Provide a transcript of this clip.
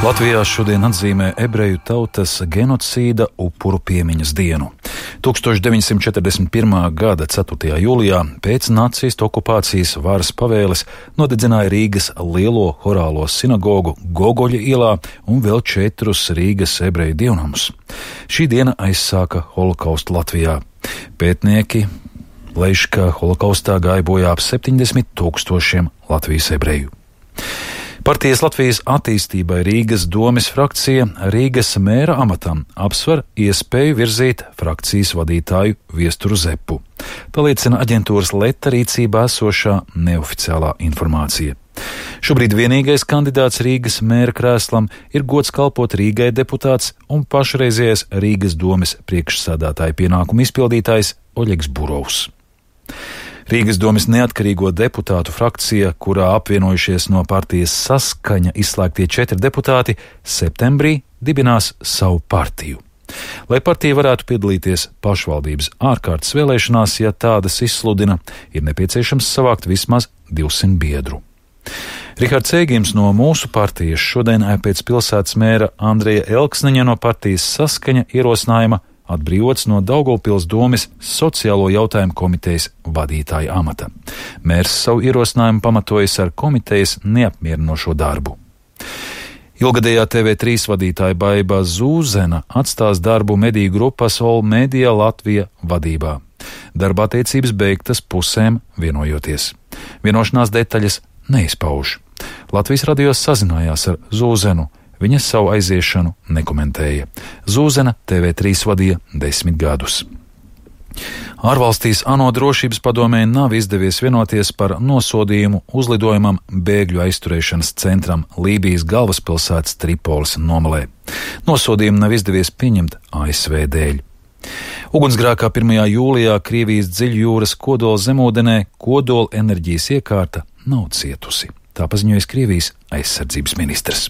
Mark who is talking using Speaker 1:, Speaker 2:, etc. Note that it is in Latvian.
Speaker 1: Latvijā šodien atzīmē ebreju tautas genocīda upuru piemiņas dienu. 1941. gada 4. jūlijā pēc nacistu okupācijas varas pavēles nodedzināja Rīgas lielo horālo sinagogu Gogoļa ielā un vēl 4 Rīgas ebreju dievnamus. Šī diena aizsāka holokaustu Latvijā. Pētnieki lēš, ka holokaustā gāja bojā ap 70 000 Latvijas ebreju. Partijas Latvijas attīstībai Rīgas domes frakcija Rīgas mēra amatam apsver iespēju virzīt frakcijas vadītāju Viesturu Zepu. Tā liecina aģentūras Leta rīcībā esošā neoficiālā informācija. Šobrīd vienīgais kandidāts Rīgas mēra krēslam ir gods kalpot Rīgai deputāts un pašreizējais Rīgas domes priekšsēdētāja pienākumu izpildītājs Oļegs Burovs. Rīgas domes neatkarīgo deputātu frakcija, kurā apvienojušies no partijas Saskaņa izslēgtie 4 deputāti, septembrī dibinās savu partiju. Lai partija varētu piedalīties pašvaldības ārkārtas vēlēšanās, ja tādas izsludina, ir nepieciešams savākt vismaz 200 biedru. Rihards Ēgims no mūsu partijas šodien pēc pilsētas mēra Andreja Elksniņa no partijas Saskaņa ierosinājuma atbrīvots no Daugavpils domes sociālo jautājumu komitejas vadītāja amata. Mērs savu ierosinājumu pamatojas ar komitejas neapmierinošo darbu. Ilgadējā TV3 vadītāja Baiba Zūzena atstās darbu mediju grupas All Media Latvija vadībā. Darba attiecības beigtas pusēm vienojoties. Vienošanās detaļas neizpauž. Latvijas radio sazinājās ar Zūzenu. Viņa savu aiziešanu nekomentēja. Zūzena TV3 vadīja 10 gadus. Ārvalstīs ANO drošības padomē nav izdevies vienoties par nosodījumu uzlidojumam bēgļu aizturēšanas centram Lībijas galvaspilsētas Tripolis nomalē. Nosodījumu nav izdevies pieņemt ASV dēļ. Ugunsgrēkā 1. jūlijā Krievijas dziļjūras kodola zemūdenē kodola enerģijas iekārta nav cietusi. Tā paziņoja Krievijas aizsardzības ministrs.